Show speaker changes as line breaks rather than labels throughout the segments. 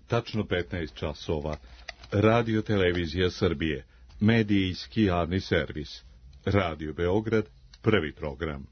tačno 15 časova. Radio Televizija Srbije, medijski javni servis. Radio Beograd, prvi program.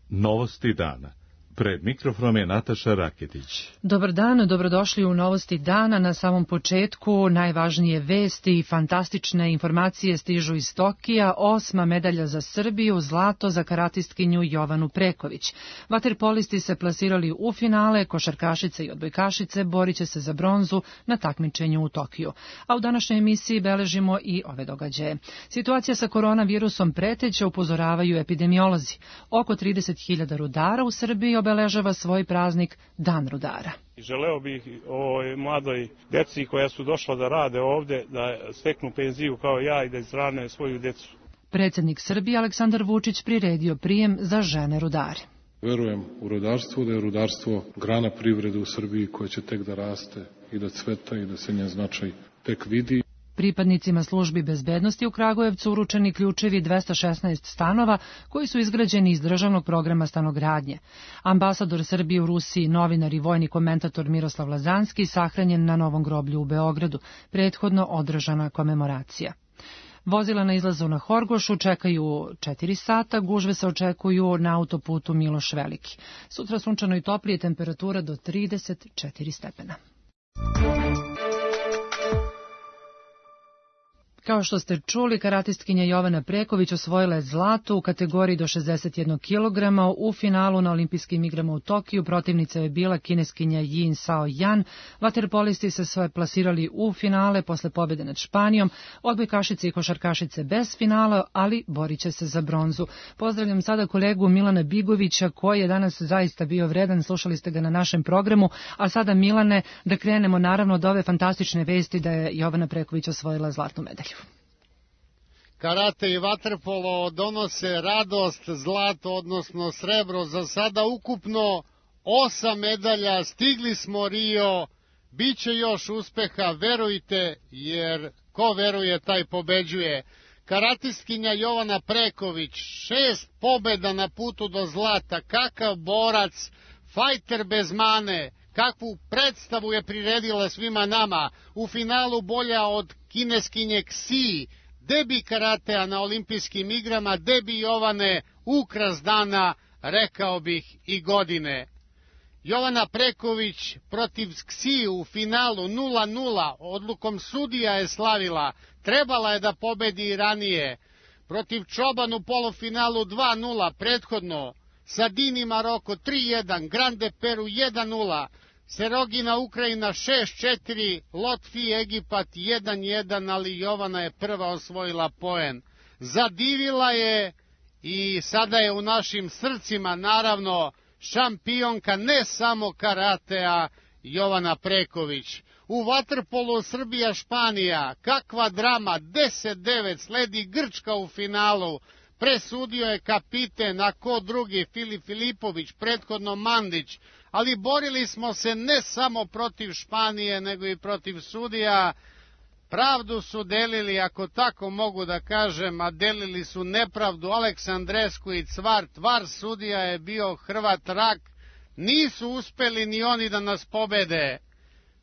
Novosti dana. Pred mikrofonom je Nataša Raketić.
Dobar dan, dobrodošli u Novosti dana. Na samom početku najvažnije vesti i fantastične informacije stižu iz Tokija. 8. medalja za Srbiju, zlato za karatistkinju Jovanu Preković. Vaterpolisti se plasirali u finale, košarkašice i odbojkašice borit će se za bronzu na takmičenju u Tokiju. A u današnjoj emisiji beležimo i ove događaje. Situacija sa koronavirusom preteće, upozoravaju epidemiolozi. Oko 30.000 rudara u Srbiji obeležava svoj praznik Dan rudara.
Želeo bih ovoj mladoj deci koja su došla da rade ovde, da steknu penziju kao ja i da izhrane svoju decu.
Predsjednik Srbije Aleksandar Vučić priredio prijem za žene rudare.
Verujem u rudarstvo, da je rudarstvo grana privrede u Srbiji koja će tek da raste i da cveta i da se njen značaj tek vidi.
Pripadnicima službi bezbednosti u Kragujevcu uručeni ključevi 216 stanova koji su izgrađeni iz državnog programa stanogradnje. Ambasador Srbije u Rusiji, novinar i vojni komentator Miroslav Lazanski sahranjen na Novom groblju u Beogradu, prethodno održana komemoracija. Vozila na izlazu na Horgošu čekaju 4 sata, gužve se očekuju na autoputu Miloš Veliki. Sutra sunčano i toplije, temperatura do 34 stepena. Kao što ste čuli, karatistkinja Jovana Preković osvojila je zlato u kategoriji do 61 kg. U finalu na olimpijskim igrama u Tokiju protivnica je bila kineskinja Yin Sao Yan. Vaterpolisti se sve plasirali u finale posle pobjede nad Španijom. Odbojkašice i košarkašice bez finala, ali borit će se za bronzu. Pozdravljam sada kolegu Milana Bigovića koji je danas zaista bio vredan. Slušali ste ga na našem programu. A sada, Milane, da krenemo naravno od ove fantastične vesti da je Jovana Preković osvojila zlatnu medalju.
Karate i vaterpolo donose radost, zlato, odnosno srebro. Za sada ukupno 8 medalja, stigli smo Rio, bit će još uspeha, verujte, jer ko veruje taj pobeđuje. Karatistkinja Jovana Preković, 6 pobjeda na putu do zlata, kakav borac, fajter bez mane, kakvu predstavu je priredila svima nama, u finalu bolja od kineskinje Ksiji, debi karatea na olimpijskim igrama, debi Jovane, ukras dana, rekao bih i godine. Jovana Preković protiv Ksiji u finalu 0-0, odlukom sudija je slavila, trebala je da pobedi i ranije. Protiv Čoban u polufinalu 2-0, prethodno, Sadini Maroko 3-1, Grande Peru 1-0, Serogina Ukrajina 6-4, Lotfi Egipat 1-1, ali Jovana je prva osvojila poen. Zadivila je i sada je u našim srcima naravno šampionka ne samo karatea Jovana Preković. U vaterpolu Srbija-Španija, kakva drama, 10-9, sledi Grčka u finalu. Presudio je kapiten, a ko drugi, Filip Filipović, prethodno Mandić, ali borili smo se ne samo protiv Španije, nego i protiv sudija. Pravdu su delili, ako tako mogu da kažem, a delili su nepravdu. Aleksandresku i Cvart, var sudija je bio Hrvat Rak, nisu uspeli ni oni da nas pobede.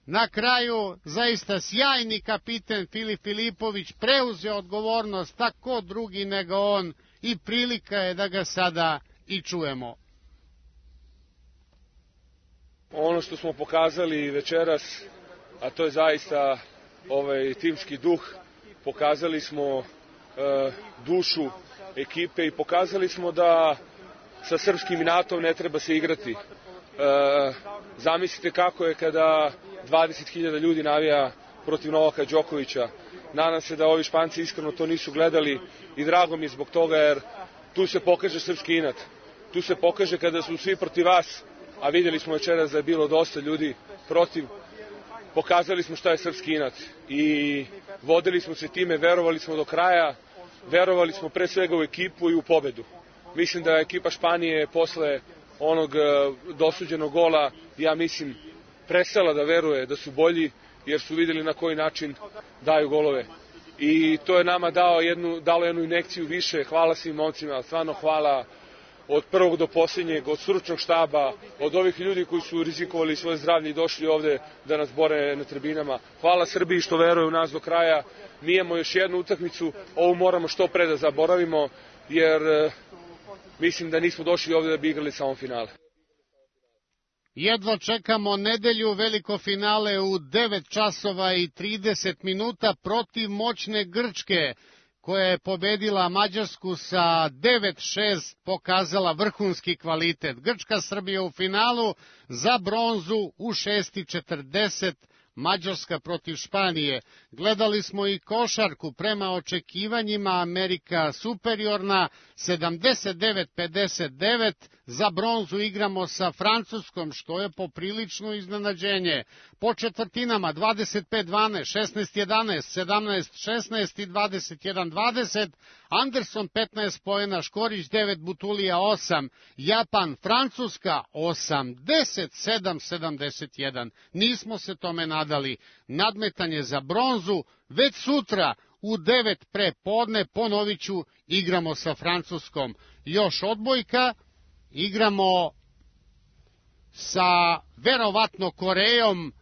Na kraju, zaista sjajni kapiten Filip Filipović preuzeo odgovornost, tako drugi nego on, i prilika je da ga sada i čujemo.
Ono što smo pokazali večeras, a to je zaista timski duh, pokazali smo dušu ekipe i pokazali smo da sa srpskim inatom ne treba se igrati. Zamislite kako je kada 20.000 ljudi navija protiv Novaka Đokovića. Nadam se da ovi Španci iskreno to nisu gledali i drago mi je zbog toga, jer tu se pokaže srpski inat. Tu se pokaže kada su svi protiv vas, a vidjeli smo večeras da je bilo dosta ljudi protiv. Pokazali smo šta je srpski inat i vodili smo se time, verovali smo do kraja, verovali smo pre svega u ekipu i u pobedu. Mislim da je ekipa Španije posle onog dosuđenog gola, ja mislim, prestala da veruje da su bolji, jer su vidjeli na koji način daju golove. I to je nama dalo jednu injekciju više. Hvala svim momcima, stvarno hvala od prvog do posljednjeg, od stručnog štaba, od ovih ljudi koji su rizikovali svoje zdravlje i došli ovde da nas bore na tribinama. Hvala Srbiji što veruje u nas do kraja. Mi imamo još jednu utakmicu, ovu moramo što pre da zaboravimo, jer mislim da nismo došli ovde da bi igrali samo finale.
Jedva čekamo nedelju, veliko finale u 9 časova i 30 minuta protiv moćne Grčke, koja je pobedila Mađarsku sa 9-6, pokazala vrhunski kvalitet. Grčka Srbija u finalu, za bronzu u 6:40, Mađarska protiv Španije. Gledali smo i košarku, prema očekivanjima Amerika superiorna, 79-59, za bronzu igramo sa Francuskom, što je poprilično iznenađenje. Po četvrtinama 25-12, 16-11, 17-16 i 21-20, Anderson 15 poena, Škorić 9, Butulija 8, Japan, Francuska 87-71. Nismo se tome nadali. Nadmetanje za bronzu već sutra u 9 pre podne, ponoviću, igramo sa Francuskom. Još odbojka, igramo sa verovatno Korejom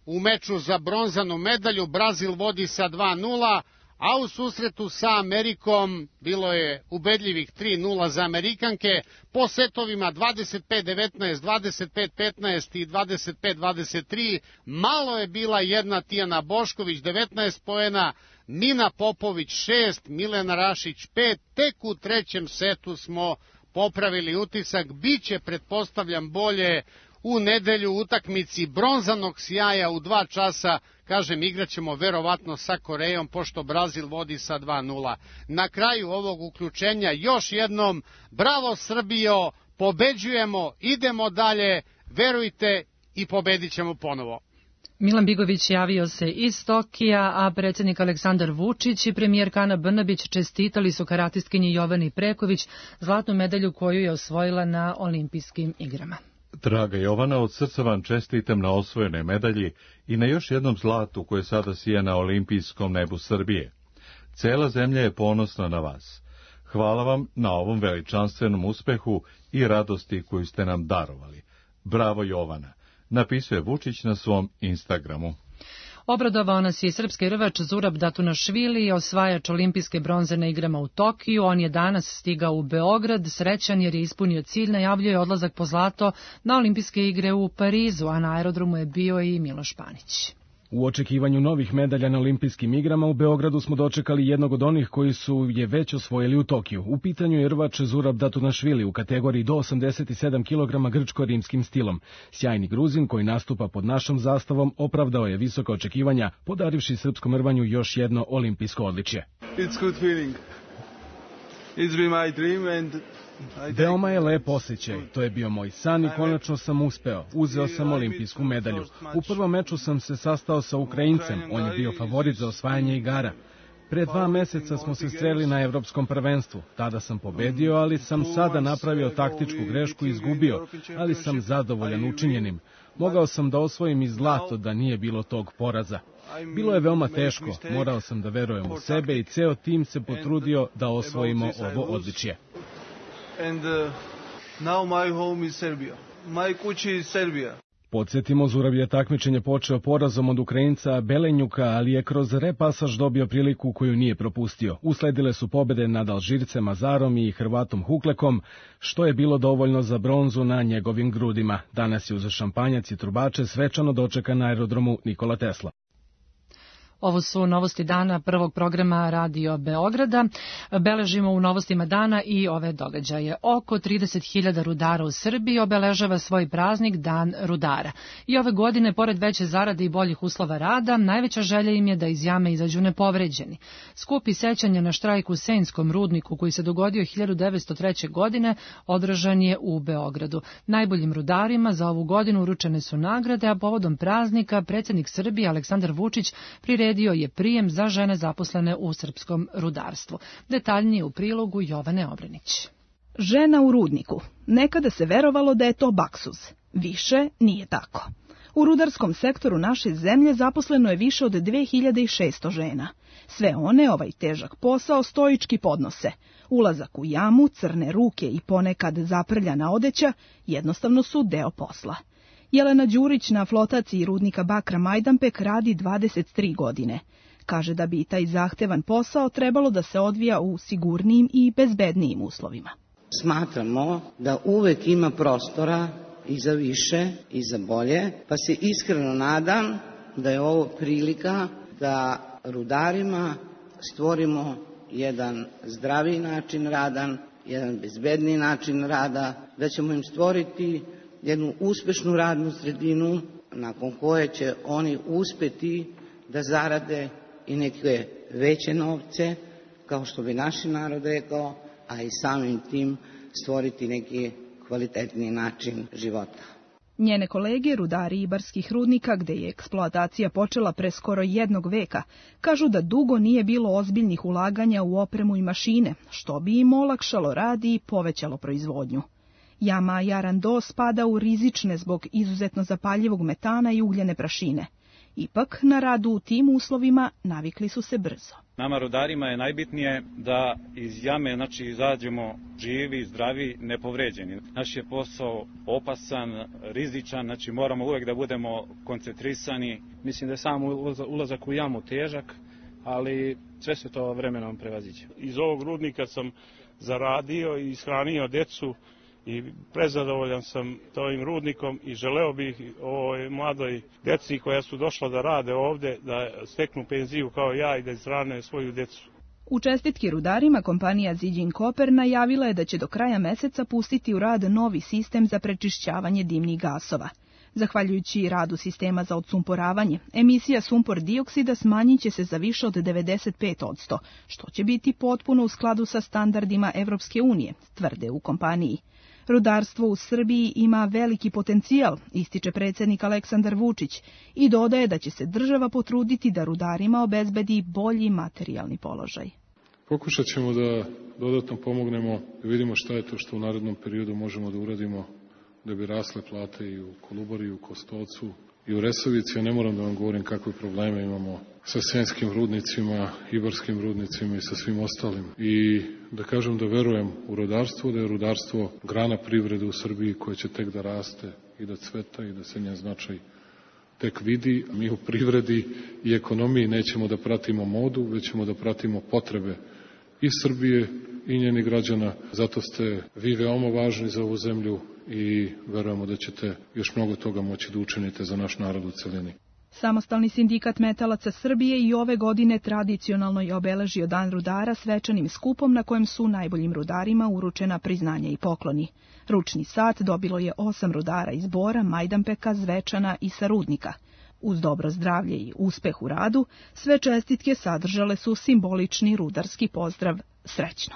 u meču za bronzanu medalju. Brazil vodi sa 2:0, a u susretu sa Amerikom bilo je ubedljivih 3:0 za Amerikanke. Po setovima 25-19, 25-15 i 25-23. Malo je bila jedna Tijana Bošković, 19 poena, Nina Popović 6, Milena Rašić 5. Tek u trećem setu smo popravili utisak. Biće, pretpostavljam, bolje u nedelju utakmici bronzanog sjaja u 2 časa. Kažem, igraćemo verovatno sa Korejom, pošto Brazil vodi sa 2:0. Na kraju ovog uključenja još jednom, bravo Srbijo, pobeđujemo, idemo dalje, verujte i pobedit ćemo ponovo.
Milan Bigović javio se iz Tokija, a predsjednik Aleksandar Vučić i premijerka Ana Brnabić čestitali su karatistkinji Jovani Preković zlatnu medalju koju je osvojila na olimpijskim igrama.
Draga Jovana, od srca vam čestitam na osvojenoj medalji i na još jednom zlatu koje sada sija na olimpijskom nebu Srbije. Cela zemlja je ponosna na vas. Hvala vam na ovom veličanstvenom uspehu i radosti koju ste nam darovali. Bravo Jovana, napisuje Vučić na svom Instagramu.
Obradovao nas je srpski rvač Zurab Datunašvili, osvajač olimpijske bronze na igrama u Tokiju. On je danas stigao u Beograd, srećan jer je ispunio cilj, najavljuje odlazak po zlato na olimpijske igre u Parizu, a na aerodromu je bio i Miloš Panić.
U očekivanju novih medalja na olimpijskim igrama u Beogradu smo dočekali jednog od onih koji su je već osvojili u Tokiju. U pitanju je rvač Zurab Datunašvili u kategoriji do 87 kg grčko-rimskim stilom. Sjajni Gruzin koji nastupa pod našom zastavom opravdao je visoka očekivanja, podarivši srpskom rvanju još jedno olimpijsko odličje.
It's good feeling. It's been my dream and
veoma je lep osjećaj, to je bio moj san i konačno sam uspeo, uzeo sam olimpijsku medalju. U prvom meču sam se sastao sa Ukrajincem, on je bio favorit za osvajanje igara. Pre 2 meseca smo se sreli na evropskom prvenstvu, tada sam pobedio, ali sam sada napravio taktičku grešku i izgubio, ali sam zadovoljan učinjenim. Mogao sam da osvojim i zlato da nije bilo tog poraza. Bilo je veoma teško, morao sam da verujem u sebe i ceo tim se potrudio da osvojimo ovo odličje.
And now my home is Serbia. My kući is Serbia.
Podsjetimo, Zurab je takmičenje počeo porazom od Ukrajinca Belenjuka, ali je kroz repasaž dobio priliku koju nije propustio. Usledile su pobede nad Alžircem Azarom i Hrvatom Huklekom, što je bilo dovoljno za bronzu na njegovim grudima. Danas je uz šampanjac i trubače svečano dočekan na aerodromu Nikola Tesla.
Ovo su novosti dana prvog programa Radio Beograda. Beležimo u novostima dana i ove događaje. Oko 30.000 rudara u Srbiji obeležava svoj praznik Dan rudara. I ove godine, pored veće zarade i boljih uslova rada, najveća želja im je da iz jame izađu nepovređeni. Skup i sećanja na štrajk u Senjskom rudniku koji se dogodio 1903. godine održan je u Beogradu. Najboljim rudarima za ovu godinu uručene su nagrade, a povodom praznika predsjednik Srbije Aleksandar Vučić priredio je prijem za žene zaposlene u srpskom rudarstvu. Detaljnije u prilogu Jovane Obrenić.
Žena u rudniku. Nekada se verovalo da je to baksuz. Više nije tako. U rudarskom sektoru naše zemlje zaposleno je više od 2600 žena. Sve one ovaj težak posao stoički podnose. Ulazak u jamu, crne ruke i ponekad zaprljana odeća jednostavno su deo posla. Jelena Đurić na flotaciji rudnika bakra Majdanpek radi 23 godine. Kaže da bi taj zahtevan posao trebalo da se odvija u sigurnijim i bezbednijim uslovima.
Smatramo da uvek ima prostora i za više i za bolje, pa se iskreno nadam da je ovo prilika da rudarima stvorimo jedan zdraviji način rada, jedan bezbedniji način rada, da ćemo im stvoriti jednu uspešnu radnu sredinu nakon koje će oni uspeti da zarade i neke veće novce, kao što bi naš narod rekao, a i samim tim stvoriti neki kvalitetniji način života.
Njene kolege, rudari ibarskih rudnika, gde je eksploatacija počela pre skoro jednog veka, kažu da dugo nije bilo ozbiljnih ulaganja u opremu i mašine, što bi im olakšalo rad i povećalo proizvodnju. Jama Jarando spada u rizične zbog izuzetno zapaljivog metana i ugljene prašine. Ipak, na radu u tim uslovima navikli su se brzo.
Nama rudarima je najbitnije da iz jame izađemo živi, zdravi, nepovređeni. Naš je posao opasan, rizičan, moramo uvek da budemo koncentrisani.
Mislim da je sam ulazak u jamu težak, ali sve se to vremenom prevaziđe.
Iz ovog rudnika sam zaradio i ishranio decu i prezadovoljan sam ovim rudnikom i želeo bih ovoj mladoj deci koja su došla da rade ovde da steknu penziju kao ja i da izhrane svoju decu.
U čestitki rudarima kompanija Zijin Copper najavila je da će do kraja meseca pustiti u rad novi sistem za prečišćavanje dimnih gasova. Zahvaljujući radu sistema za odsumporavanje, emisija sumpor dioksida smanjit će se za više od 95%, što će biti potpuno u skladu sa standardima Evropske unije, tvrde u kompaniji. Rudarstvo u Srbiji ima veliki potencijal, ističe predsjednik Aleksandar Vučić i dodaje da će se država potruditi da rudarima obezbedi bolji materijalni položaj.
Pokušat ćemo da dodatno pomognemo, da vidimo šta je to što u narednom periodu možemo da uradimo da bi rasle plate i u Kolubari, i u Kostolcu, i u Resavici. Ja ne moram da vam govorim kakve probleme imamo sa senskim rudnicima, ibarskim rudnicima i sa svim ostalim. I da kažem da verujem u rudarstvo, da je rudarstvo grana privrede u Srbiji koja će tek da raste i da cveta i da se njen značaj tek vidi. Mi u privredi i ekonomiji nećemo da pratimo modu, već ćemo da pratimo potrebe i Srbije i njenih građana. Zato ste vi veoma važni za ovu zemlju i verujemo da ćete još mnogo toga moći da učinite za naš narod u celini.
Samostalni sindikat metalaca Srbije i ove godine tradicionalno je obeležio Dan rudara svečanim skupom na kojem su najboljim rudarima uručena priznanja i pokloni. Ručni sat dobilo je 8 rudara iz Bora, Majdanpeka, Zvečana i sa rudnika. Uz dobro zdravlje i uspeh u radu, sve čestitke sadržale su simbolični rudarski pozdrav srećno.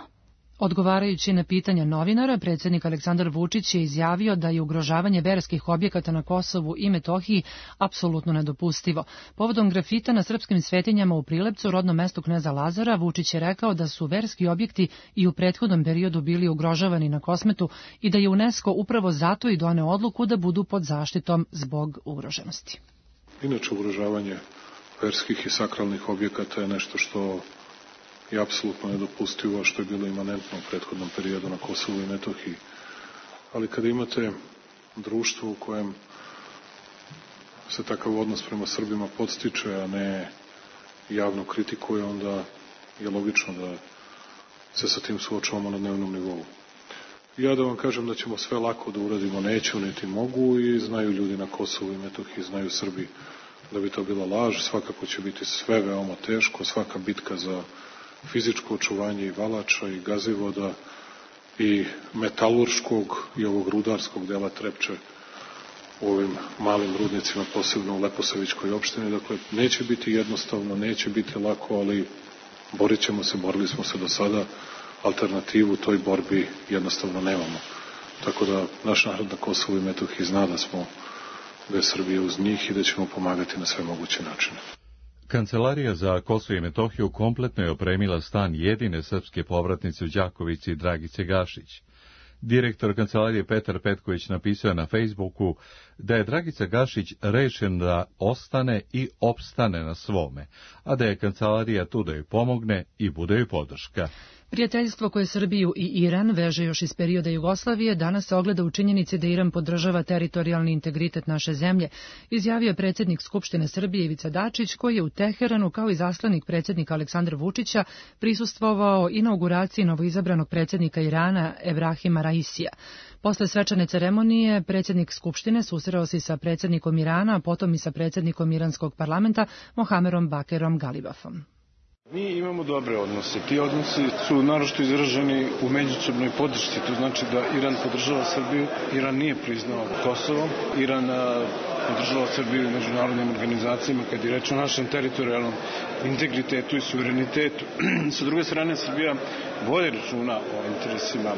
Odgovarajući na pitanja novinara, predsjednik Aleksandar Vučić je izjavio da je ugrožavanje verskih objekata na Kosovu i Metohiji apsolutno nedopustivo. Povodom grafita na srpskim svetinjama u Prilepcu, rodnom mestu kneza Lazara, Vučić je rekao da su verski objekti i u prethodnom periodu bili ugrožavani na Kosmetu i da je UNESCO upravo zato i doneo odluku da budu pod zaštitom zbog ugroženosti.
Inače, ugrožavanje verskih i sakralnih objekata je nešto što je apsolutno nedopustivo, što je bilo imanentno u prethodnom periodu na Kosovu i Metohiji. Ali kada imate društvo u kojem se takav odnos prema Srbima podstiče, a ne javno kritikuje, onda je logično da se sa tim suočavamo na dnevnom nivou. Ja da vam kažem da ćemo sve lako da uradimo, neću niti mogu, i znaju ljudi na Kosovu i Metohiji, znaju Srbi da bi to bila laž. Svakako će biti sve veoma teško, svaka bitka za fizičko očuvanje i valača i gazivoda i metalurškog i ovog rudarskog dela Trepče u ovim malim rudnicima, posebno u Leposavićkoj opštini. Dakle, neće biti jednostavno, neće biti lako, ali borit ćemo se, borili smo se do sada, alternativu toj borbi jednostavno nemamo. Tako da naš narod na Kosovu i Metohiji zna da je Srbija uz njih i da ćemo pomagati na sve moguće načine.
Kancelarija za Kosovo i Metohiju kompletno je opremila stan jedine srpske povratnice u Đakovici, Dragice Gašić. Direktor kancelarije Petar Petković napisao je na Facebooku da je Dragica Gašić rešen da ostane i opstane na svome, a da je kancelarija tu da joj pomogne i bude joj podrška.
Prijateljstvo koje Srbiju i Iran veže još iz perioda Jugoslavije danas se ogleda u činjenici da Iran podržava teritorijalni integritet naše zemlje, izjavio je predsjednik Skupštine Srbije Ivica Dačić, koji je u Teheranu kao i zaslanik predsjednika Aleksandra Vučića prisustvovao inauguraciji novoizabranog predsjednika Irana Ebrahima Raisija. Posle svečane ceremonije predsjednik Skupštine susreo se sa predsjednikom Irana, a potom i sa predsjednikom iranskog parlamenta Mohamerom Bakerom Galibafom.
Mi imamo dobre odnose. Ti odnosi su naročito izraženi u međusobnoj podršci. To znači da Iran podržava Srbiju. Iran nije priznao Kosovo. Iran podržava Srbiju i međunarodnim organizacijama kad je reč o našem teritorijalnom integritetu i suverenitetu. Sa druge strane, Srbija vodi računa o interesima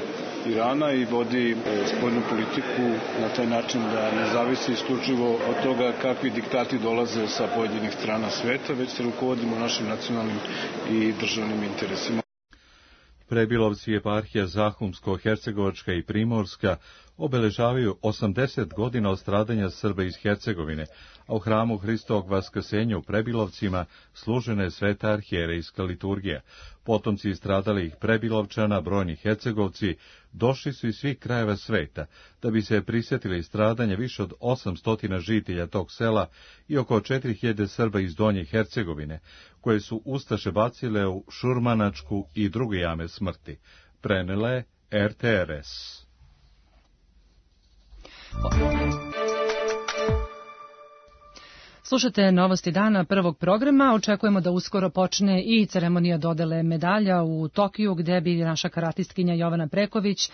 Irana i vodi spoljnu politiku na taj način da ne zavisi isključivo od toga kakvi diktati dolaze sa pojedinih strana sveta, već se rukovodimo našim nacionalnim i državnim interesima.
Prebilovci eparhija Zahumsko-Hercegovačka i Primorska obeležavaju 80 godina od stradanja Srba iz Hercegovine, a u hramu Hristovog vaskrsenja u Prebilovcima služena je sveta arhijerejska liturgija. Potomci stradalih Prebilovčana, brojni Hercegovci, došli su iz svih krajeva sveta, da bi se prisjetili stradanja više od 800 žitelja tog sela i oko 4000 Srba iz Donje Hercegovine, koje su ustaše bacile u Šurmanačku i druge jame smrti. Prenele RTRS.
Slušate novosti dana prvog programa. Očekujemo da uskoro počne i ceremonija dodele medalja u Tokiju, gde bi naša karatistkinja Jovana Preković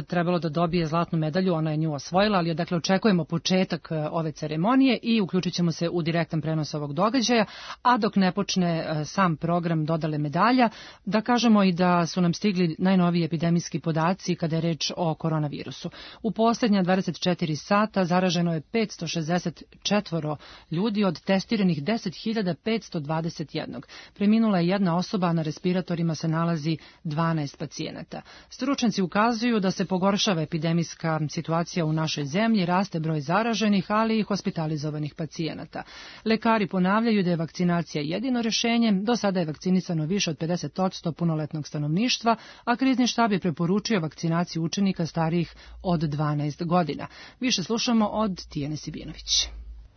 trebalo da dobije zlatnu medalju. Ona je nju osvojila, ali dakle očekujemo početak ove ceremonije i uključit ćemo se u direktan prenos ovog događaja. A dok ne počne sam program dodele medalja, da kažemo i da su nam stigli najnoviji epidemijski podaci kada je reč o koronavirusu. U posljednja 24 sata zaraženo je 564 ljudi od testiranih 10.521. Preminula je jedna osoba, a na respiratorima se nalazi 12 pacijenata. Stručnjaci ukazuju da se pogoršava epidemijska situacija u našoj zemlji, raste broj zaraženih, ali i hospitalizovanih pacijenata. Lekari ponavljaju da je vakcinacija jedino rješenje, do sada je vakcinisano više od 50% punoletnog stanovništva, a krizni štab je preporučio vakcinaciju učenika starijih od 12 godina. Više slušamo od Tijene Sibinović.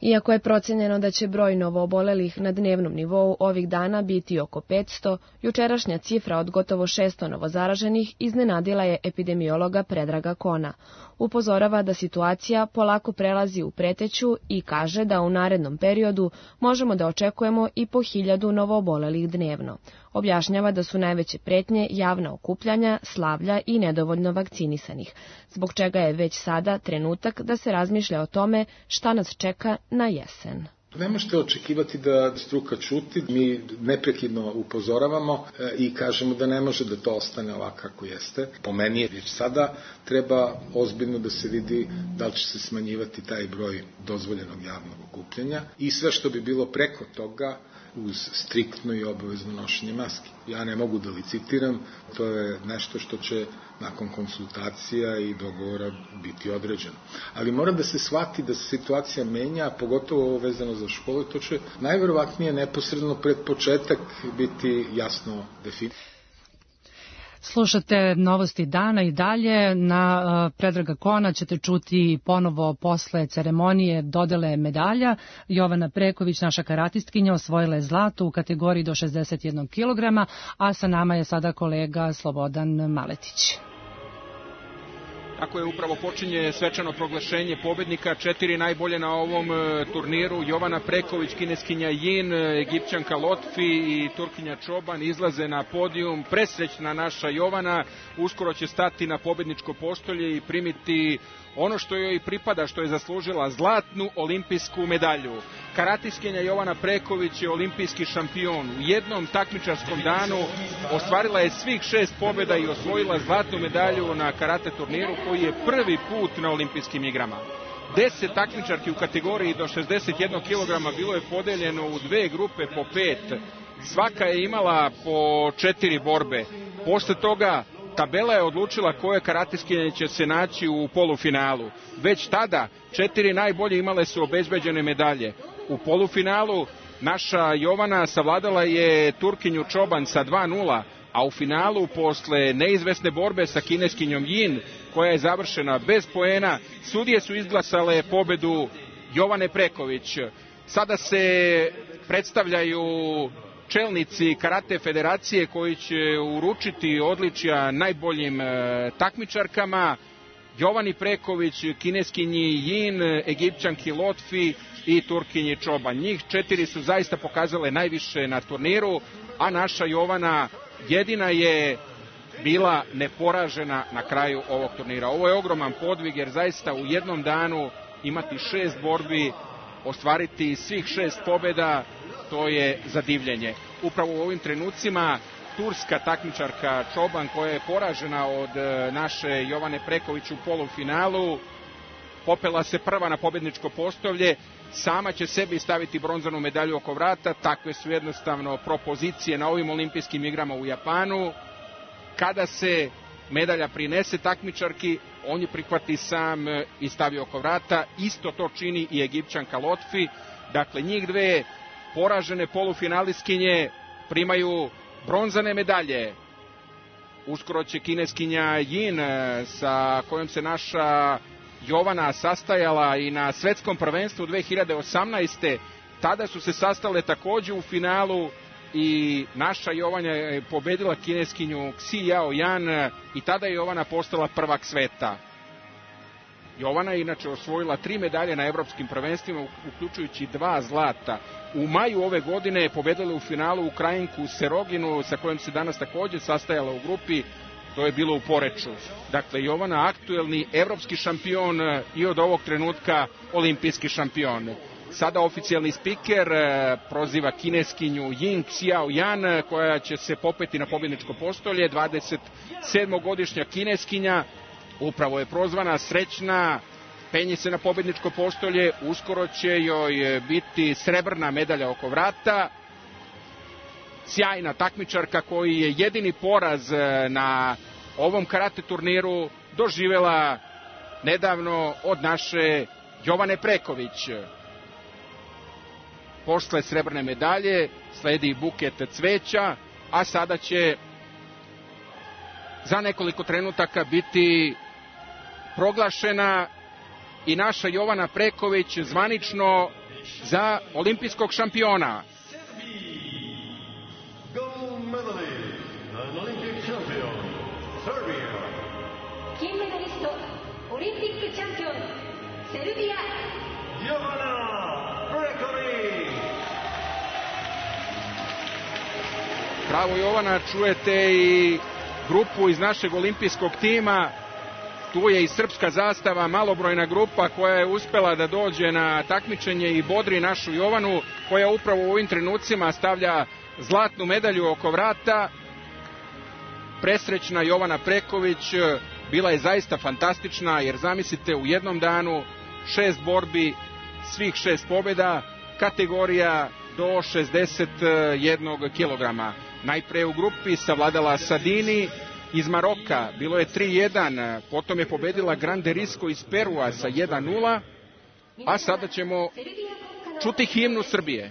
Iako je procenjeno da će broj novoobolelih na dnevnom nivou ovih dana biti oko 500, jučerašnja cifra od gotovo 600 novozaraženih iznenadila je epidemiologa Predraga Kona. Upozorava da situacija polako prelazi u preteću i kaže da u narednom periodu možemo da očekujemo i po 1000 novoobolelih dnevno. Objašnjava da su najveće pretnje javna okupljanja, slavlja i nedovoljno vakcinisanih, zbog čega je već sada trenutak da se razmišlja o tome šta nas čeka na jesen.
Ne možete očekivati da struka ćuti, mi neprekidno upozoravamo i kažemo da ne može da to ostane ovako kako jeste. Po meni je već sada treba ozbiljno da se vidi da li će se smanjivati taj broj dozvoljenog javnog okupljanja i sve što bi bilo preko toga uz striktno i obavezno nošenje maski. Ja ne mogu da licitiram, to je nešto što će nakon konsultacija i dogovora biti određeno. Ali mora da se shvati da se situacija menja, pogotovo ovo vezano za školu, to će najverovatnije neposredno pred početak biti jasno definisano.
Slušate novosti dana i dalje. Na Predraga Kona ćete čuti ponovo posle ceremonije dodele medalja. Jovana Preković, naša karatistkinja, osvojila je zlato u kategoriji do 61 kg, a sa nama je sada kolega Slobodan Maletić.
Tako je, upravo počinje svečano proglašenje pobednika. 4 najbolje na ovom turniru. Jovana Preković, kineskinja Jin, Egipćanka Lotfi i Turkinja Čoban izlaze na podijum. Presrećna naša Jovana uskoro će stati na pobedničko postolje i primiti ono što joj pripada, što je zaslužila, zlatnu olimpijsku medalju. Karatiskinja Jovana Preković je olimpijski šampion. U jednom takmičarskom danu ostvarila je svih 6 pobjeda i osvojila zlatnu medalju na karate turniru koji je prvi put na olimpijskim igrama. 10 takmičarki u kategoriji do 61 kg bilo je podeljeno u 2 grupe po 5. Svaka je imala po 4 borbe. Posle toga tabela je odlučila koje karateskinje će se naći u polufinalu. Već tada 4 najbolje imale su obezbeđene medalje. U polufinalu naša Jovana savladala je Turkinju Čoban sa 2:0, a u finalu posle neizvesne borbe sa kineskinjom Jin, koja je završena bez poena, sudije su izglasale pobedu Jovane Preković. Sada se predstavljaju čelnici Karate federacije koji će uručiti odličja najboljim takmičarkama: Jovani Preković, kineskinji Jin, Egipćanki Lotfi i Turkinji Čoban. Njih 4 su zaista pokazale najviše na turniru, a naša Jovana jedina je bila neporažena na kraju ovog turnira. Ovo je ogroman podvig, jer zaista u jednom danu imati 6 borbi, ostvariti svih 6 pobjeda, to je za divljenje. Upravo u ovim trenucima turska takmičarka Čoban, koja je poražena od naše Jovane Preković u polufinalu, popela se prva na pobjedničko postolje, sama će sebi staviti bronzanu medalju oko vrata. Takve su jednostavno propozicije na ovim olimpijskim igrama u Japanu. Kada se medalja prinese takmičarki, on je prihvati sam i stavi oko vrata. Isto to čini i Egipćanka Lotfi. Dakle, njih dve poražene polufinalistkinje primaju bronzane medalje. Uskoro će kineskinja Jin, sa kojom se naša Jovana sastajala i na svetskom prvenstvu 2018. Tada su se sastale takođe u finalu i naša Jovana je pobedila kineskinju Xi Yao Yan i tada je Jovana postala prvak sveta. Jovana je inače osvojila 3 medalje na evropskim prvenstvima, uključujući 2 zlata. U maju ove godine je pobedila u finalu Ukrajinku Seroginu, sa kojom se danas takođe sastajala u grupi. To je bilo u Poreču. Dakle, Jovana aktuelni evropski šampion i od ovog trenutka olimpijski šampion. Sada oficijalni spiker proziva kineskinju Jin Xiao Yan, koja će se popeti na pobjedničko postolje. 27-godišnja kineskinja, upravo je prozvana, srećna, penje se na pobjedničko postolje. Uskoro će joj biti srebrna medalja oko vrata. Sjajna takmičarka koji je jedini poraz na ovom karate turniru doživela nedavno od naše Jovane Preković. Posle srebrne medalje sledi buket cveća, a sada će za nekoliko trenutaka biti proglašena i naša Jovana Preković zvanično za olimpijskog šampiona.
Gold medalist and Olympic champion, Serbia.
金メダリスト、オリンピックチャンピオン、セルビア。
Jovana Preković.
Bravo Jovana, čujete i grupu iz našeg olimpijskog tima. Tu je i srpska zastava, malobrojna grupa koja je uspela da dođe na takmičenje i bodri našu Jovanu, koja upravo u ovim trenucima stavlja zlatnu medalju oko vrata. Presrećna Jovana Preković bila je zaista fantastična, jer zamislite, u jednom danu 6 borbi, svih 6 pobjeda, kategorija do 61 kilograma. Najpre u grupi savladala Sadini iz Maroka, bilo je 3:1, potom je pobedila Grande Risco iz Perua sa 1:0, a sada ćemo čuti himnu Srbije.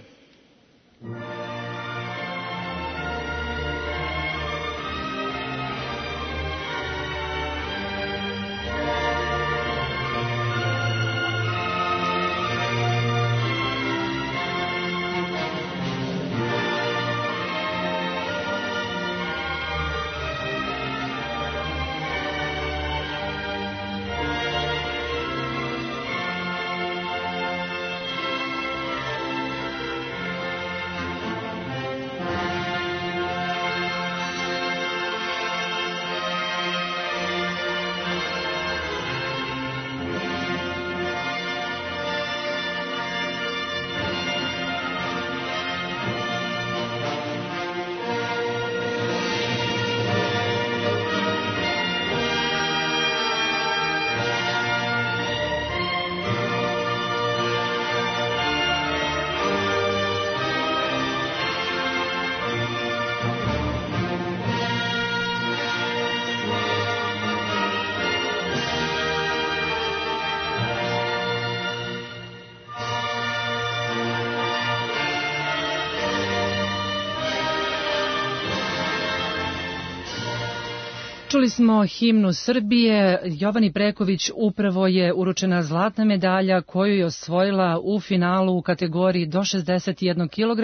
Čuli smo himnu Srbije. Jovani Preković upravo je uručena zlatna medalja koju je osvojila u finalu u kategoriji do 61 kg.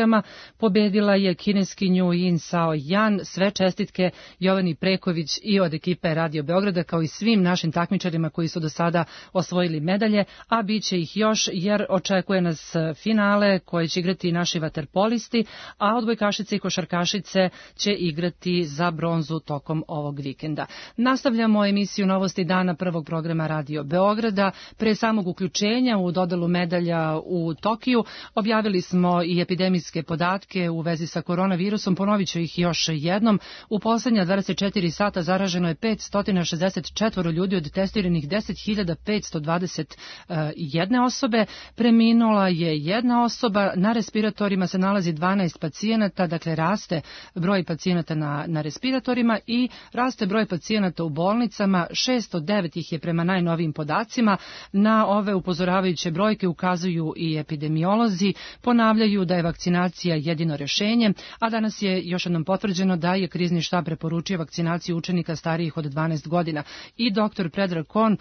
Pobedila je kineskinju Yin Sao Yan. Sve čestitke Jovani Preković i od ekipe Radio Beograda, kao i svim našim takmičarima koji su do sada osvojili medalje, a bit će ih još jer očekuje nas finale koje će igrati naši vaterpolisti, a odbojkašice i košarkašice će igrati za bronzu tokom ovog vikenda. Nastavljamo emisiju Novosti dana prvog programa Radio Beograda. Pre samog uključenja u dodelu medalja u Tokiju objavili smo i epidemijske podatke u vezi sa koronavirusom. Ponovit ću ih još jednom. U poslednja 24 sata zaraženo je 564 ljudi od testiranih 10.521 osobe. Preminula je jedna osoba. Na respiratorima se nalazi 12 pacijenata, dakle raste broj pacijenata na respiratorima i raste broj pacijenata u bolnicama. 609 ih je prema najnovijim podacima. Na ove upozoravajuće brojke ukazuju i epidemiolozi. Ponavljaju da je vakcinacija jedino rešenje, a danas je još jednom potvrđeno da je krizni štab preporučio vakcinaciju učenika starijih od 12 godina. I dr. Predrag Kon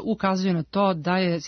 ukazuje na to da je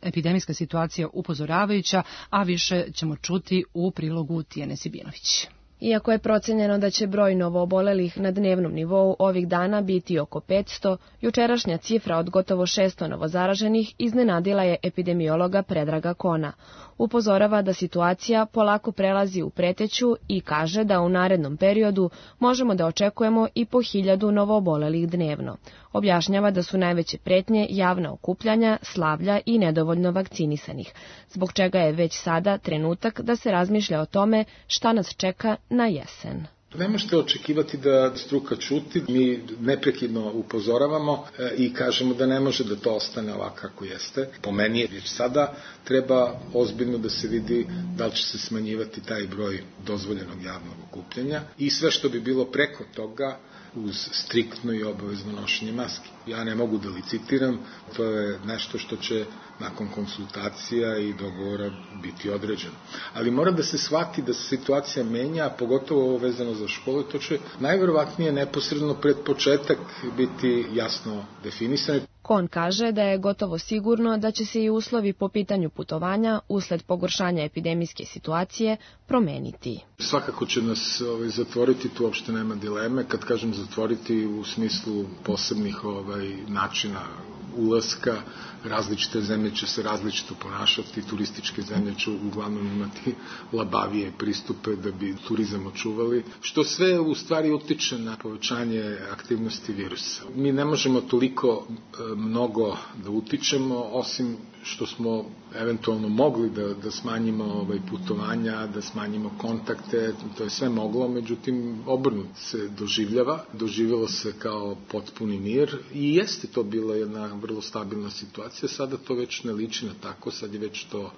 epidemijska situacija upozoravajuća, a više ćemo čuti u prilogu Tijene Sibinović.
Iako je procenjeno da će broj novoobolelih na dnevnom nivou ovih dana biti oko 500, jučerašnja cifra od gotovo 600 novozaraženih iznenadila je epidemiologa Predraga Kona. Upozorava da situacija polako prelazi u preteću i kaže da u narednom periodu možemo da očekujemo i po 1000 novoobolelih dnevno. Objašnjava da su najveće pretnje javna okupljanja, slavlja i nedovoljno vakcinisanih, zbog čega je već sada trenutak da se razmišlja o tome šta nas čeka na jesen.
Ne možete očekivati da struka ćuti, mi neprekidno upozoravamo i kažemo da ne može da to ostane ovako kako jeste. Po meni je već sada treba ozbiljno da se vidi da li će se smanjivati taj broj dozvoljenog javnog okupljanja i sve što bi bilo preko toga uz striktno i obavezno nošenje maski. Ja ne mogu da licitiram, to je nešto što će nakon konsultacija i dogovora biti određeno. Ali mora da se shvati da se situacija menja, a pogotovo ovo vezano za škole, to će najverovatnije neposredno pred početak biti jasno definisano.
Kon kaže da je gotovo sigurno da će se i uslovi po pitanju putovanja usled pogoršanja epidemijske situacije promeniti.
Svakako će nas zatvoriti, tu uopšte nema dileme. Kad kažem zatvoriti u smislu posebnih načina ulaska, različite zemlje će se različito ponašati, turističke zemlje će uglavnom imati labavije pristupe da bi turizam očuvali, što sve u stvari utiče na povećanje aktivnosti virusa. Mi ne možemo toliko mnogo da utičemo, osim što smo eventualno mogli da smanjimo putovanja, da smanjimo kontakte, to je sve moglo, međutim obrnut se doživjelo se kao potpuni mir i jeste to bila jedna vrlo stabilna situacija, sada to već ne liči na tako, sad je već to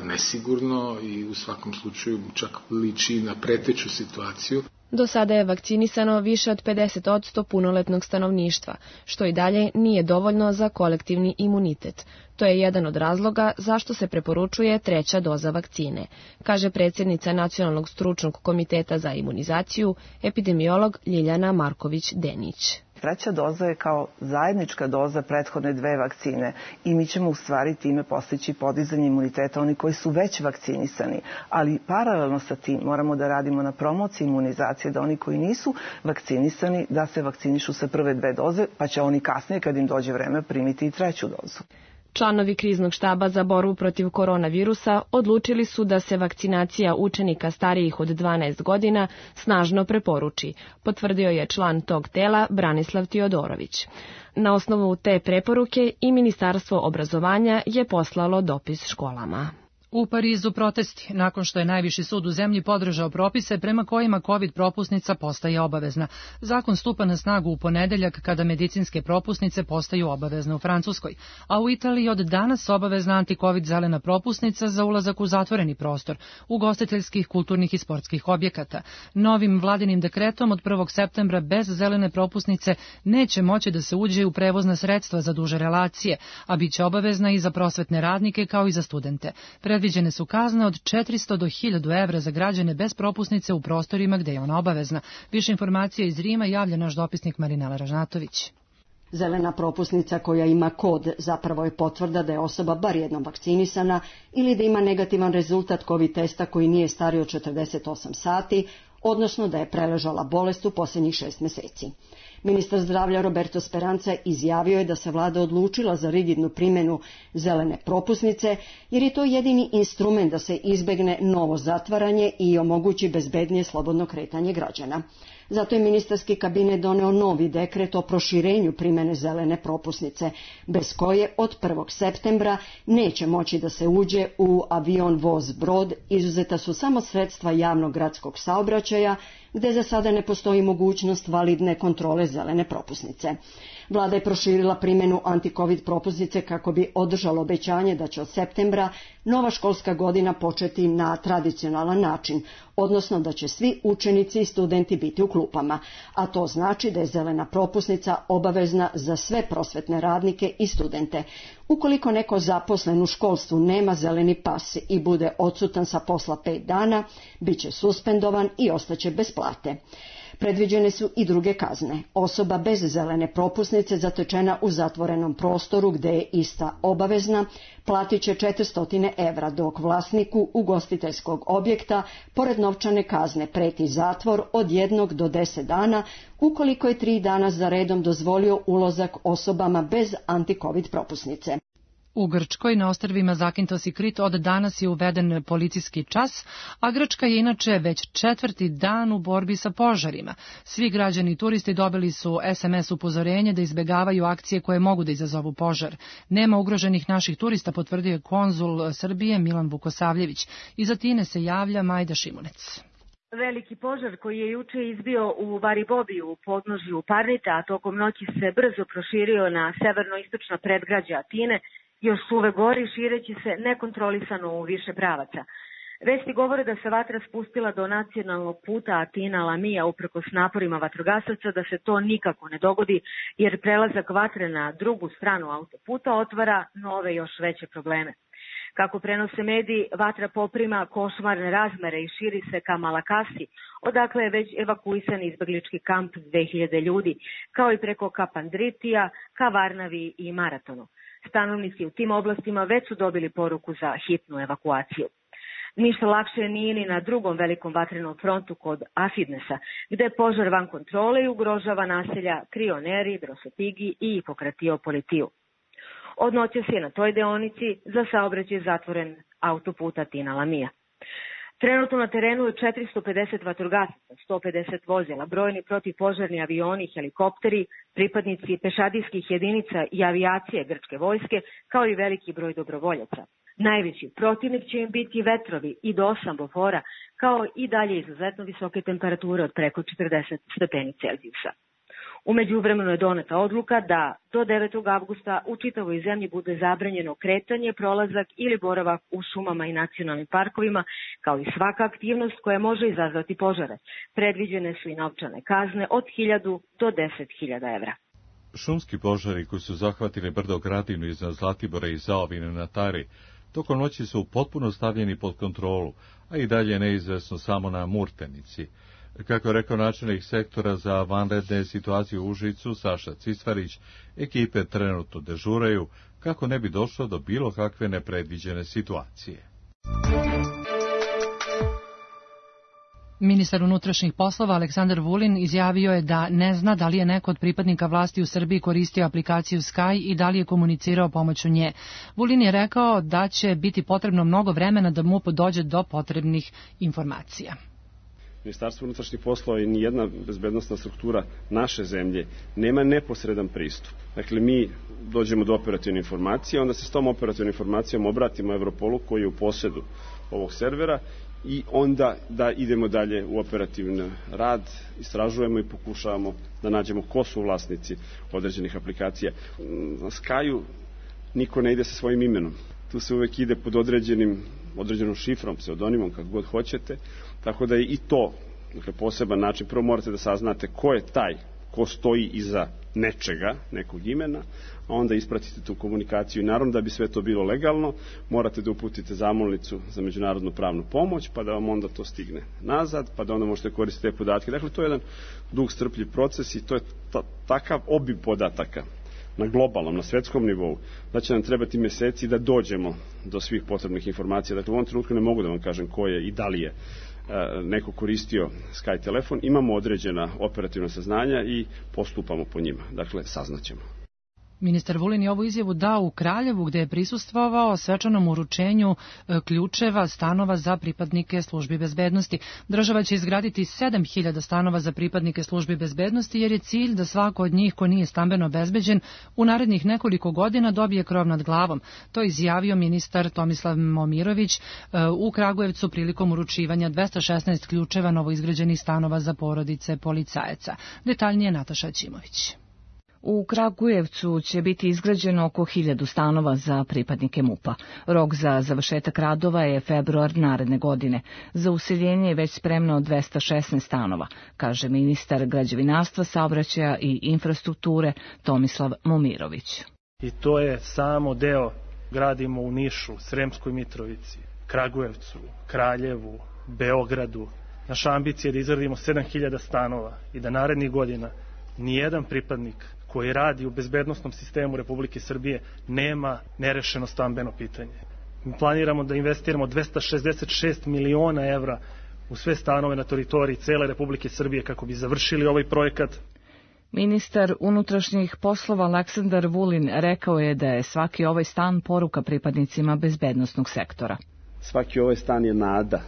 nesigurno i u svakom slučaju čak liči na preteću situaciju.
Do sada je vakcinisano više od 50% punoletnog stanovništva, što i dalje nije dovoljno za kolektivni imunitet. To je jedan od razloga zašto se preporučuje 3. doza vakcine, kaže predsjednica Nacionalnog stručnog komiteta za imunizaciju, epidemiolog Ljiljana Marković-Denić.
3. doza je kao zajednička doza prethodne 2 vakcine i mi ćemo u stvari time postići podizanje imuniteta oni koji su već vakcinisani, ali paralelno sa tim moramo da radimo na promociji imunizacije, da oni koji nisu vakcinisani da se vakcinišu sa prve 2 doze, pa će oni kasnije kad im dođe vreme primiti i 3. dozu.
Članovi kriznog štaba za borbu protiv koronavirusa odlučili su da se vakcinacija učenika starijih od 12 godina snažno preporuči, potvrdio je član tog tela Branislav Tiodorović. Na osnovu te preporuke i Ministarstvo obrazovanja je poslalo dopis školama.
U Parizu protesti, nakon što je najviši sud u zemlji podržao propise prema kojima COVID propusnica postaje obavezna. Zakon stupa na snagu u ponedeljak kada medicinske propusnice postaju obavezne u Francuskoj, a u Italiji od danas obavezna anti-COVID zelena propusnica za ulazak u zatvoreni prostor, ugostiteljskih, kulturnih i sportskih objekata. Novim vladinim dekretom od 1. septembra bez zelene propusnice neće moći da se uđe u prevozna sredstva za duže relacije, a bit će obavezna i za prosvetne radnike kao i za studente. Predviđene su kazne od 400 do 1000 evra za građane bez propusnice u prostorima gde je ona obavezna. Više informacija iz Rima javlja naš dopisnik Marinela Ražnatović.
Zelena propusnica koja ima kod zapravo je potvrda da je osoba bar jednom vakcinisana ili da ima negativan rezultat COVID testa koji nije stariji od 48 sati, odnosno da je preležala bolest u posljednjih 6 meseci. Ministar zdravlja Roberto Speranza izjavio je da se vlada odlučila za rigidnu primjenu zelene propusnice, jer je to jedini instrument da se izbegne novo zatvaranje i omogući bezbednije slobodno kretanje građana. Zato je ministarski kabinet doneo novi dekret o proširenju primjene zelene propusnice, bez koje od 1. septembra neće moći da se uđe u avion, voz, brod, izuzeta su samo sredstva javnog gradskog saobraćaja, gde za sada ne postoji mogućnost validne kontrole zelene propusnice. Vlada je proširila primjenu anti-covid propusnice kako bi održalo obećanje da će od septembra nova školska godina početi na tradicionalan način, odnosno da će svi učenici i studenti biti u klupama, a to znači da je zelena propusnica obavezna za sve prosvetne radnike i studente. Ukoliko neko zaposlen u školstvu nema zeleni pas i bude odsutan sa posla 5 dana, bit će suspendovan i ostaće bez plate. Predviđene su i druge kazne. Osoba bez zelene propusnice zatečena u zatvorenom prostoru gde je ista obavezna platit će 400 evra, dok vlasniku ugostiteljskog objekta pored novčane kazne preti zatvor od 1 do 10 dana ukoliko je 3 dana za redom dozvolio ulazak osobama bez anti-covid propusnice.
U Grčkoj na ostrvima Zakintos i Krit od danas je uveden policijski čas, a Grčka je inače već 4. dan u borbi sa požarima. Svi građani i turisti dobili su SMS upozorenje da izbegavaju akcije koje mogu da izazovu požar. Nema ugroženih naših turista, potvrdio je konzul Srbije Milan Vukosavljević. Iz Atine se javlja Majda Šimunec.
Veliki požar koji je juče izbio u Varibobiju u podnožju Parnita, a tokom noći se brzo proširio na severno-istočna predgrađa Atine, još uvek gori, šireći se nekontrolisano u više pravaca. Vesti govore da se vatra spustila do nacionalnog puta Atina-Lamija uprkos naporima vatrogasaca da se to nikako ne dogodi, jer prelazak vatre na drugu stranu autoputa otvara nove još veće probleme. Kako prenose mediji, vatra poprima košmarne razmere i širi se ka Malakasi, odakle je već evakuisan izbeglički kamp 2000 ljudi, kao i preko Kapandritija, ka Varnavi i Maratonu. Stanovnici u tim oblastima već su dobili poruku za hitnu evakuaciju. Ništa lakše nije ni na drugom velikom vatrenom frontu kod Afidnesa, gde je požar van kontrole i ugrožava naselja Krioneri, Drosopigi i Hipokratiopolitiju. Od noćas je na toj deonici za saobraćaj zatvoren autoput Atina-Lamija. Trenutno na terenu je 450 vatrogasaca, 150 vozila, brojni protivpožarni avioni i helikopteri, pripadnici pešadijskih jedinica i avijacije grčke vojske, kao i veliki broj dobrovoljaca. Najveći protivnik će im biti vetrovi i do 8 bofora, kao i dalje izuzetno visoke temperature od preko 40 stepeni Celzijusa. U međuvremenu je doneta odluka da do 9. avgusta u čitavoj zemlji bude zabranjeno kretanje, prolazak ili boravak u šumama i nacionalnim parkovima, kao i svaka aktivnost koja može izazvati požare. Predviđene su i novčane kazne od 1000 do 10.000 evra.
Šumski požari koji su zahvatili brdo Gradinu iznad Zlatibora i Zaovine na Tari, tokom noći su potpuno stavljeni pod kontrolu, a i dalje neizvesno samo na Murtenici. Kako je rekao načelnik sektora za vanredne situacije u Užicu, Saša Cicvarić, ekipe trenutno dežuraju kako ne bi došlo do bilo kakve nepredviđene situacije.
Ministar unutrašnjih poslova Aleksandar Vulin izjavio je da ne zna da li je neko od pripadnika vlasti u Srbiji koristio aplikaciju Sky i da li je komunicirao pomoću nje. Vulin je rekao da će biti potrebno mnogo vremena da MUP dođe do potrebnih informacija.
Ministarstvo unutrašnjih poslova i nijedna bezbednosna struktura naše zemlje nema neposredan pristup. Dakle, mi dođemo do operativne informacije, onda se s tom operativnom informacijom obratimo Europolu koji je u posedu ovog servera i onda da idemo dalje u operativni rad, istražujemo i pokušavamo da nađemo ko su vlasnici određenih aplikacija. Na Skyu niko ne ide sa svojim imenom. Tu se uvek ide pod određenom šifrom, pseudonimom, kako god hoćete, tako da je i to poseban način. Prvo morate da saznate ko je taj ko stoji iza nečega, nekog imena, a onda ispratite tu komunikaciju. I naravno da bi sve to bilo legalno, morate da uputite zamolnicu za međunarodnu pravnu pomoć, pa da vam onda to stigne nazad, pa da onda možete koristiti te podatke. Dakle, to je jedan dug, strpljiv proces i to je takav obim podataka na globalnom, na svetskom nivou, da će nam trebati meseci da dođemo do svih potrebnih informacija. Dakle, u ovom trenutku ne mogu da vam kažem ko je i da li je neko koristio Sky telefon. Imamo određena operativna saznanja i postupamo po njima. Dakle, saznaćemo.
Ministar Vulin je ovu izjavu dao u Kraljevu, gde je prisustvovao svečanom uručenju ključeva stanova za pripadnike službi bezbednosti. Država će izgraditi 7.000 stanova za pripadnike službi bezbednosti, jer je cilj da svako od njih ko nije stambeno obezbeđen u narednih nekoliko godina dobije krov nad glavom. To je izjavio ministar Tomislav Momirović u Kragujevcu prilikom uručivanja 216 ključeva novoizgrađenih stanova za porodice policajaca. Detaljnije Nataša Ćimović.
U Kragujevcu će biti izgrađeno oko 1000 stanova za pripadnike MUP-a. Rok za završetak radova je februar naredne godine. Za useljenje je već spremno 216 stanova, kaže ministar građevinarstva, saobraćaja i infrastrukture Tomislav Momirović.
I to je samo deo. Gradimo u Nišu, Sremskoj Mitrovici, Kragujevcu, Kraljevu, Beogradu. Naša ambicija je da izgradimo 7000 stanova i da narednih godina nijedan pripadnik koji radi u bezbednosnom sistemu Republike Srbije nema nerešeno stambeno pitanje. Mi planiramo da investiramo 266 miliona evra u sve stanove na teritoriji cele Republike Srbije kako bi završili ovaj projekat.
Ministar unutrašnjih poslova Aleksandar Vulin rekao je da je svaki ovaj stan poruka pripadnicima bezbednosnog sektora.
Svaki ovaj stan je nada.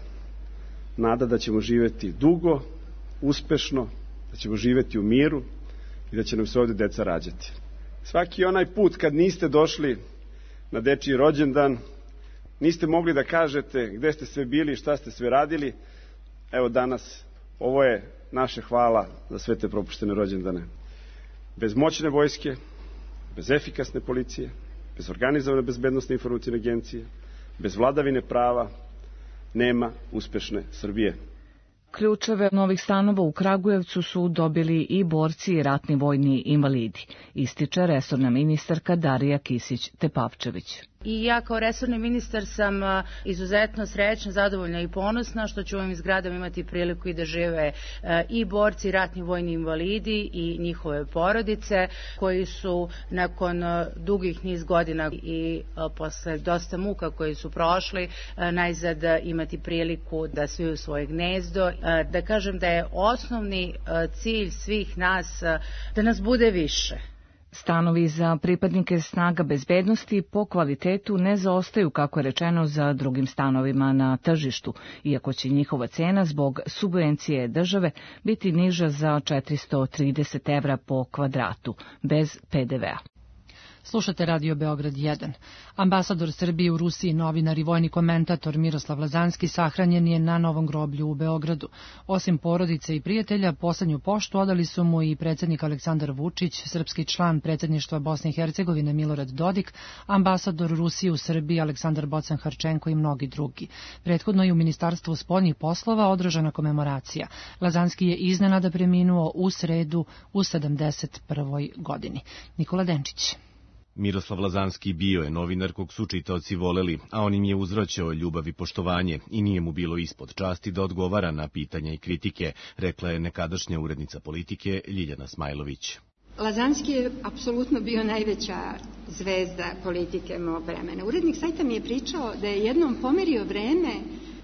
Nada da ćemo živjeti dugo, uspešno, da ćemo živjeti u miru i da će nam se ovdje deca rađati. Svaki onaj put kad niste došli na dečiji rođendan, niste mogli da kažete gde ste sve bili i šta ste sve radili, evo danas, ovo je naše hvala za sve te propuštene rođendane. Bez moćne vojske, bez efikasne policije, bez organizovane bezbednosne informacijne agencije, bez vladavine prava, nema uspešne Srbije.
Ključeve novih stanova u Kragujevcu su dobili i borci i ratni vojni invalidi, ističe resorna ministarka Darija Kisić-Tepavčević.
I ja kao resorni ministar sam izuzetno srećna, zadovoljna i ponosna što ću u ovim zgradama imati priliku i da žive i borci i ratni vojni invalidi i njihove porodice koji su nakon dugih niz godina i posle dosta muka koji su prošli najzad imati priliku da sviju svoje gnezdo. Da kažem da je osnovni cilj svih nas da nas bude više.
Stanovi za pripadnike snaga bezbednosti po kvalitetu ne zaostaju, kako je rečeno, za drugim stanovima na tržištu, iako će njihova cena zbog subvencije države biti niža za 430 evra po kvadratu, bez PDV-a.
Slušate Radio Beograd 1. Ambasador Srbije u Rusiji, novinar i vojni komentator Miroslav Lazanski sahranjen je na Novom groblju u Beogradu. Osim porodice i prijatelja, poslednju poštu odali su mu i predsjednik Aleksandar Vučić, srpski član predsjedništva Bosne i Hercegovine Milorad Dodik, ambasador Rusije u Srbiji Aleksandar Bocan-Harčenko i mnogi drugi. Prethodno je u Ministarstvu spoljnih poslova održana komemoracija. Lazanski je iznenada preminuo u sredu u 71. godini. Nikola Denčić.
Miroslav Lazanski bio je novinar kog su čitaoci voleli, a on im je uzvraćao ljubav i poštovanje i nije mu bilo ispod časti da odgovara na pitanja i kritike, rekla je nekadašnja urednica politike Ljiljana Smajlović.
Lazanski je apsolutno bio najveća zvezda politike mog vremena. Urednik sajta mi je pričao da je jednom pomerio vreme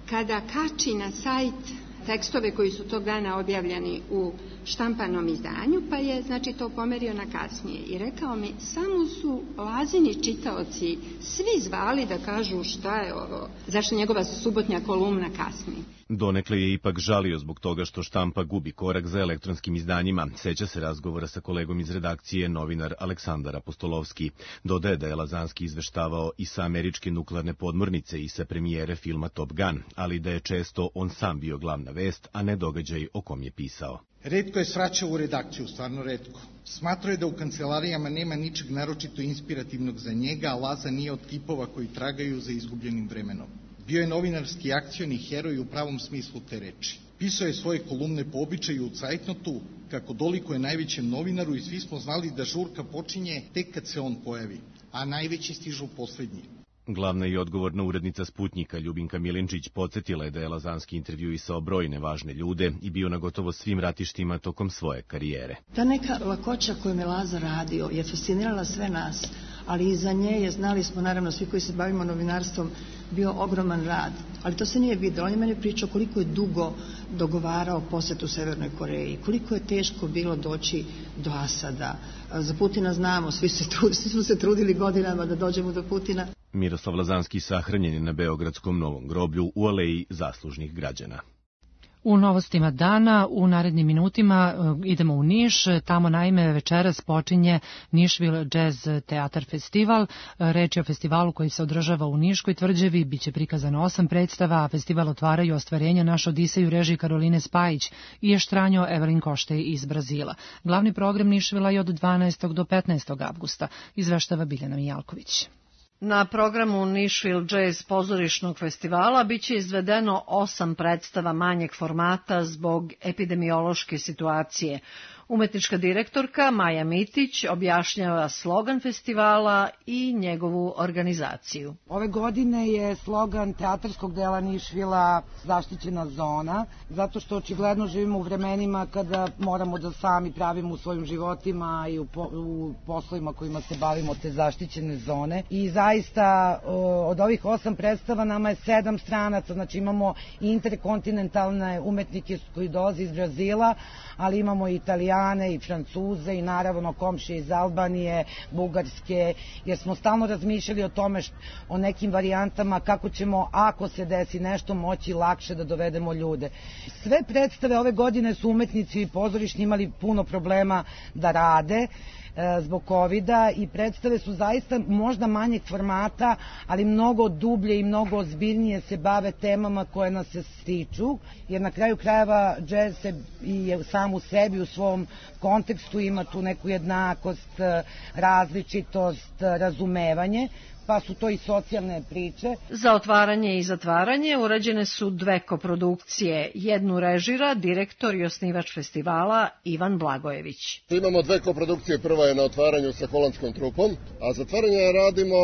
kada kači na sajt tekstove koji su tog dana objavljeni u štampanom izdanju, pa je to pomerio na kasnije. I rekao mi, samo su Lazini čitaoci svi zvali da kažu šta je ovo, zašto njegova subotnja kolumna kasni.
Donekle je ipak žalio zbog toga što štampa gubi korak za elektronskim izdanjima. Seća se razgovora sa kolegom iz redakcije, novinar Aleksandar Apostolovski. Dodaje da je Lazanski izveštavao i sa američke nuklearne podmornice i sa premijere filma Top Gun, ali da je često on sam bio glavna vest, a ne događaj o kom je pisao.
Retko je svraćao u redakciju, stvarno retko. Smatrao je da u kancelarijama nema ničeg naročito inspirativnog za njega, a Laza nije od tipova koji tragaju za izgubljenim vremenom. Bio je novinarski akcioni heroj u pravom smislu te reči. Pisao je svoje kolumne po običaju u Cajtnotu, kako dolikuje najvećem novinaru i svi smo znali da žurka počinje tek kad se on pojavi, a najveći stižu poslednji.
Glavna i odgovorna urednica Sputnjika Ljubinka Milinčić podsjetila je da je Lazanski intervjuisao brojne važne ljude i bio na gotovo svim ratištima tokom svoje karijere.
Ta neka lakoća koju je Laza radio je fascinirala sve nas, ali iza nje je, znali smo naravno svi koji se bavimo novinarstvom, bio ogroman rad. Ali to se nije videlo. On je meni pričao koliko je dugo dogovarao posetu Severnoj Koreji, koliko je teško bilo doći do Asada. Za Putina znamo, svi smo se trudili godinama da dođemo do Putina.
Miroslav Lazanski sahranjen je na Beogradskom Novom groblju u aleji zaslužnih građana.
U novostima dana, u narednim minutima idemo u Niš, tamo naime večeras počinje Nišvil Jazz Teatar Festival. Reč je o festivalu koji se održava u Niškoj tvrđavi, biće prikazano 8 predstava, a festival otvaraju ostvarenja Naš Odisej u režiji Karoline Spajić i Ještranjo Evelin Koštej iz Brazila. Glavni program Nišvila je od 12. do 15. avgusta, izveštava Biljana Mijalković.
Na programu Nišvil Jazz pozorišnog festivala biće izvedeno 8 predstava manjeg formata zbog epidemiološke situacije. Umetnička direktorka Maja Mitić objašnjava slogan festivala i njegovu organizaciju.
Ove godine je slogan teatarskog dela Nišvila zaštićena zona, zato što očigledno živimo u vremenima kada moramo da sami pravimo u svojim životima i u poslovima kojima se bavimo te zaštićene zone. I zaista od ovih 8 predstava nama je 7 stranaca, znači imamo interkontinentalne umetnike koji dolaze iz Brazila, ali imamo i Italijane i Francuze i naravno komšije iz Albanije, Bugarske, jer smo stalno razmišljali o tome o nekim varijantama kako ćemo, ako se desi nešto, moći lakše da dovedemo ljude. Sve predstave ove godine su umetnici i pozorišni imali puno problema da rade zbog covida i predstave su zaista možda manjeg formata, ali mnogo dublje i mnogo ozbiljnije se bave temama koje nas se stiču, jer na kraju krajeva džez je sam u sebi, u svom kontekstu ima tu neku jednakost, različitost, razumevanje, pa su to i socijalne priče.
Za otvaranje i zatvaranje urađene su 2 koprodukcije. Jednu režira direktor i osnivač festivala Ivan Blagojević.
Imamo 2 koprodukcije, prva je na otvaranju sa holandskom trupom, a zatvaranje radimo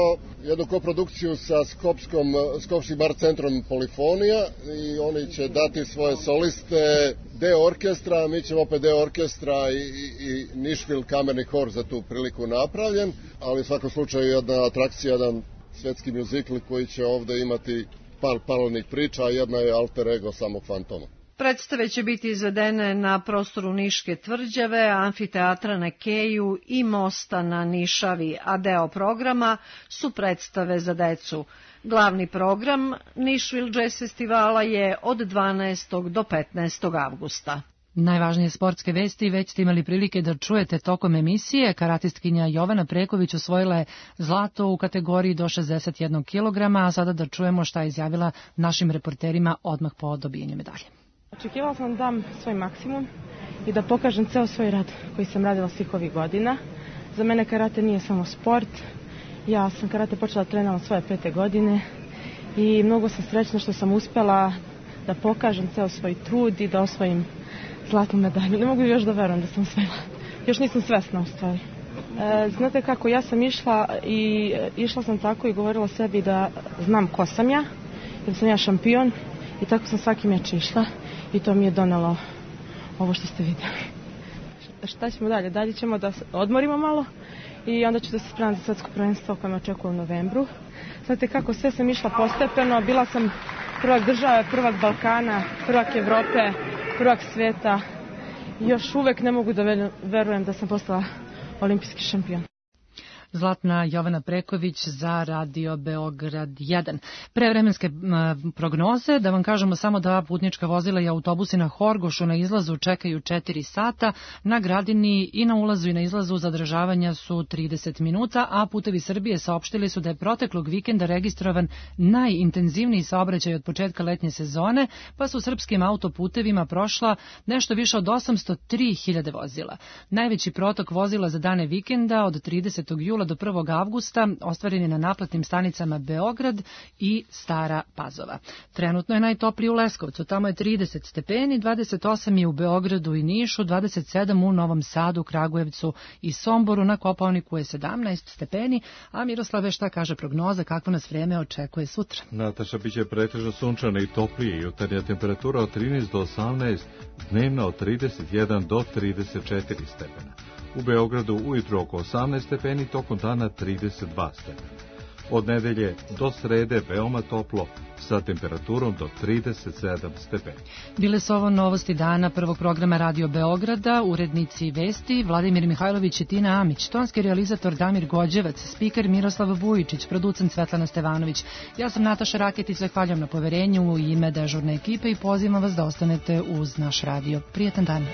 jednu koprodukciju sa Skopskim bar centrom Polifonija i oni će dati svoje soliste, deo orkestra, mi ćemo opet deo orkestra i Nišvil kamerni hor za tu priliku napravljen, ali u svakom slučaju jedna atrakcija, jedan svetski mjuzikl koji će ovde imati par paralelnih priča, a jedna je alter ego samog Fantoma.
Predstave će biti izvedene na prostoru Niške tvrđave, amfiteatra na Keju i mosta na Nišavi, a deo programa su predstave za decu. Glavni program Nišvil Jazz festivala je od 12. do 15. avgusta.
Najvažnije sportske vesti već ste imali prilike da čujete tokom emisije. Karatistkinja Jovana Preković osvojila je zlato u kategoriji do 61 kg, a sada da čujemo šta je izjavila našim reporterima odmah po dobijenju medalje.
Očekivala sam da dam svoj maksimum i da pokažem ceo svoj rad koji sam radila svih ovih godina. Za mene karate nije samo sport. Ja sam karate počela da treniram svoje 5. godine i mnogo sam srećna što sam uspela da pokažem ceo svoj trud i da osvojim zlatnu medalju. Ne mogu još da verujem da sam osvojila. Još nisam svesna u stvari. Znate kako, ja sam išla sam tako i govorila sebi da znam ko sam ja, jer sam ja šampion i tako sam svaki meč išla i to mi je donelo ovo što ste vidjeli. Šta ćemo dalje? Dalje ćemo da odmorimo malo i onda ću da se spremam za svetsko prvenstvo koje me očekuje u novembru. Znate kako, sve sam išla postepeno, bila sam prvak države, prvak Balkana, prvak Evrope, prvak sveta. Još uvek ne mogu da verujem da sam postala olimpijski šampion.
Zlatna Jovana Preković za Radio Beograd 1. Prevremenske prognoze, da vam kažemo samo da putnička vozila i autobusi na Horgošu na izlazu čekaju 4 sata, na Gradini i na ulazu i na izlazu zadržavanja su 30 minuta, a Putevi Srbije saopštili su da je proteklog vikenda registrovan najintenzivniji saobraćaj od početka letnje sezone, pa su srpskim autoputevima prošla nešto više od 803.000 vozila. Najveći protok vozila za dane vikenda od 30. jula jula do 1. avgusta ostvaren je na naplatnim stanicama Beograd i Stara Pazova. Trenutno je najtopliji u Leskovcu, tamo je 30 stepeni, 28 je u Beogradu i Nišu, 27 u Novom Sadu, Kragujevcu i Somboru, na Kopaoniku je 17 stepeni, a Miroslave, šta kaže prognoza, kakvo nas vreme očekuje sutra?
Nataša, biće pretežno sunčano i toplije, jutarnja temperatura od 13 do 18, dnevna od 31 do 34 stepena. U Beogradu ujutro oko 18 stepeni, tokom dana 32 stepena. Od nedelje do srede veoma toplo, sa temperaturom do 37 stepeni.
Bile su ovo novosti dana prvog programa Radio Beograda, urednici vesti Vladimir Mihajlović i Tina Amić, tonski realizator Damir Gođevac, spiker Miroslav Vujičić, producent Svetlana Stevanović. Ja sam Nataša Raketić, zahvaljam na poverenju u ime dežurne ekipe i pozivam vas da ostanete uz naš radio. Prijetan dan.